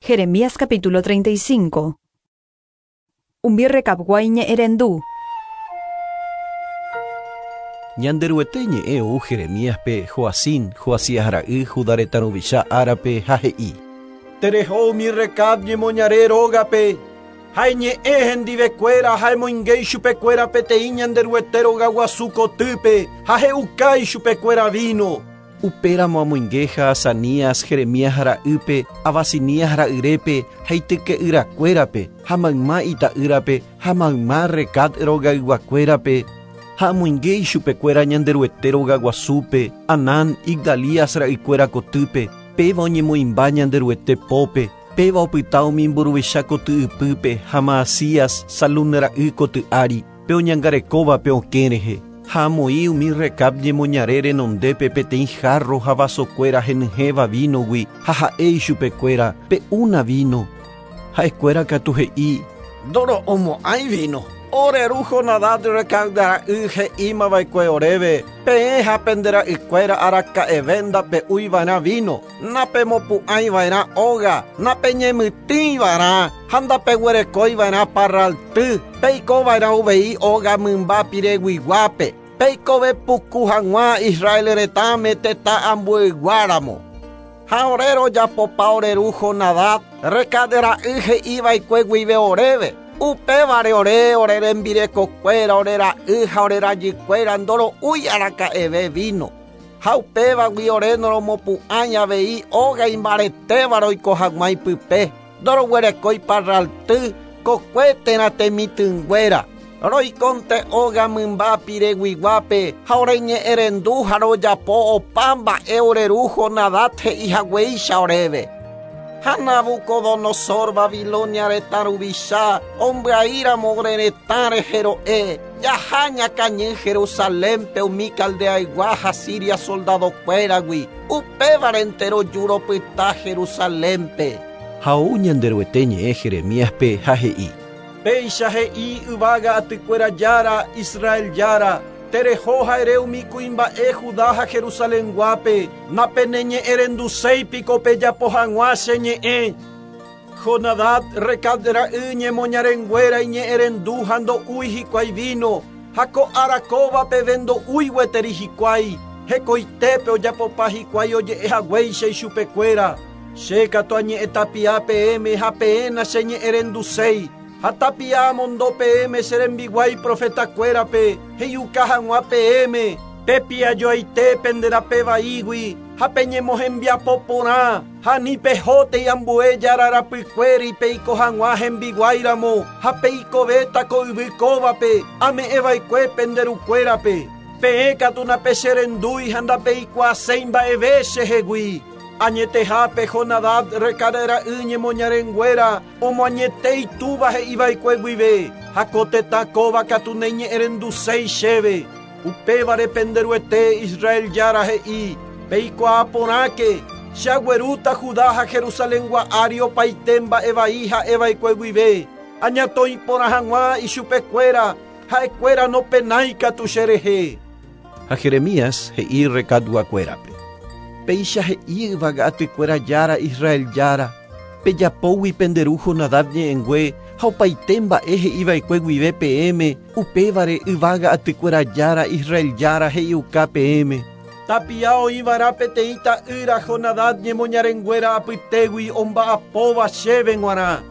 Jeremías capítulo 35. Umi Recabgua iñe'ẽrendu. Ñanderuete ñe'ẽ ou Jeremíaspe, Joacim, Joacías ra'y, Judá retã ruvicha árape, ha he'i. Tereho umi Recab ñemoñare rógape, ha eñe'ẽ hendivekuéra ha emoinge ichupekuéra peteĩ Ñanderuete rogaguasu kotýpe ha he'uka ichupekuéra víno. Upéramo amoinge Jaazanías, Jeremías ra'ýpe, Abasinías ra'yrépe ha ityke'yrakuérape, ha mayma ita'ýrape, ha mayma Recab rogayguakuérape, ha amoinge ichupekuéra Ñanderuete rogaguasúpe, Anán, Igdalías ra'ykuéra kotýpe, péva oñemoĩmba Ñanderuete pópe, péva opyta umi mburuvicha koty ypýpe ha Maasías, Salún ra'y koty ári, pe oñangarekóvape okẽ rehe. Ha amoĩ umi Recab ñemoñare renondépe peteĩ jarro ha vasokuéra henyhẽva vínogui ha ha'e ichupekuéra, Pe'úna víno. Ha'ekuéra katu he'i, Ndoro'umo'ãi víno. Ore ru Jonadab Recab ra'y he'ímava'ekue oréve, Peẽ ha pende ra'ykuéra araka'eve ndape'úiva'erã víno, napemopu'ãiva'erã óga, napeñemytỹiva'erã ha ndapeguerekóiva'erã parralty, peikova'erã uvei óga mymba pireguiguápe, peikove puku hag̃ua Israel retãme tetã ambueyguáramo. Ha ore rojapopa ore ru Jonadab Recab ra'y he'iva'ekue guive oréve, upévare ore, ore rembirekokuéra, ore ra'y ha ore rajykuéra ndoro'úi araka'eve víno. Ha upévagui ore noromopu'ãi avei óga imbaretéva roiko hag̃ua ipype, ndoroguerekói parralty, kokue térã temitỹnguéra. Roikonte óga mymba pireguiguápe ha oreñe'ẽrendu ha rojapo opa mba'e ore ru Jonadab he'i haguéicha oréve. Ha Nabucodonosor Babilonia retã ruvicha ombyaíramo ore retã rehe ro'e, jaha ñakañy Jerusalénpe umi Caldeaygua ha Siria soldadokuéragui, upévarente roju ropyta Jerusalénpe. Ha ou Ñanderuete ñe'ẽ Jeremíaspe ha he'i. Péicha he'i yvága atykuéra Jára, Israel Jára, tereho ha ere umi kuimba'e Judá ha Jerusalenguápe, napeneñe'ẽrenduséi piko pejapo hag̃ua che ñe'ẽ. Jonadab Recab ra'y ñemoñarenguéra iñe'ẽrendu ha ndo'úi hikuái víno, ha ko ára kóva peve ndo'úi gueteri hikuái, hekoitépe ojapopa hikuái oje'e haguéicha ichupekuéra. Che katu añe'ẽ tapia peẽme ha peẽ nacheñe'ẽrenduséi. Ha tapia amondo peẽme che rembiguái profetakuérape, he'iuka hag̃ua peẽme, pepiajoaite pende rape vaígui ha peñemohembiapo porã, ha ani pehótei ambue jára rapykuéri peiko hag̃ua hembiguáiramo ha peikovéta ko yvy kóvape ame'ẽva'ekue pende rukuérape. Peẽ katu napecherendúi ha ndapeikuaaséi mba'eve chehegui. Añetehápe Jonadab Recab ra'y ñemoñarenguéra omoañete itúva he'iva'ekue guive, ha ko tetã kóva katu naiñe'ẽrenduséi chéve. Upévare Penderuete Israel Jára he'i, peikuaa porãke, che aguerúta Judá ha Jerusalengua ári opaite mba'e vai ha'eva'ekue guive, añatõi porã hag̃ua ichupekuéra, ha'ekuéra nopenái katu cherehe. Ha Jeremías he'i Recabguakuérape, Péicha he'i yvága atykuéra Jára Israel Jára, pejapógui pende ru Jonadab ñe'ẽngue ha opaite mba'e he'iva'ekue guive peẽme, upévare yvága atykuéra Jára Israel Jára he'iuka peẽme. Tapia oĩva'erã peteĩ ta'ýra Jonadab ñemoñarenguéra apytégui omba'apóva chéve g̃uarã.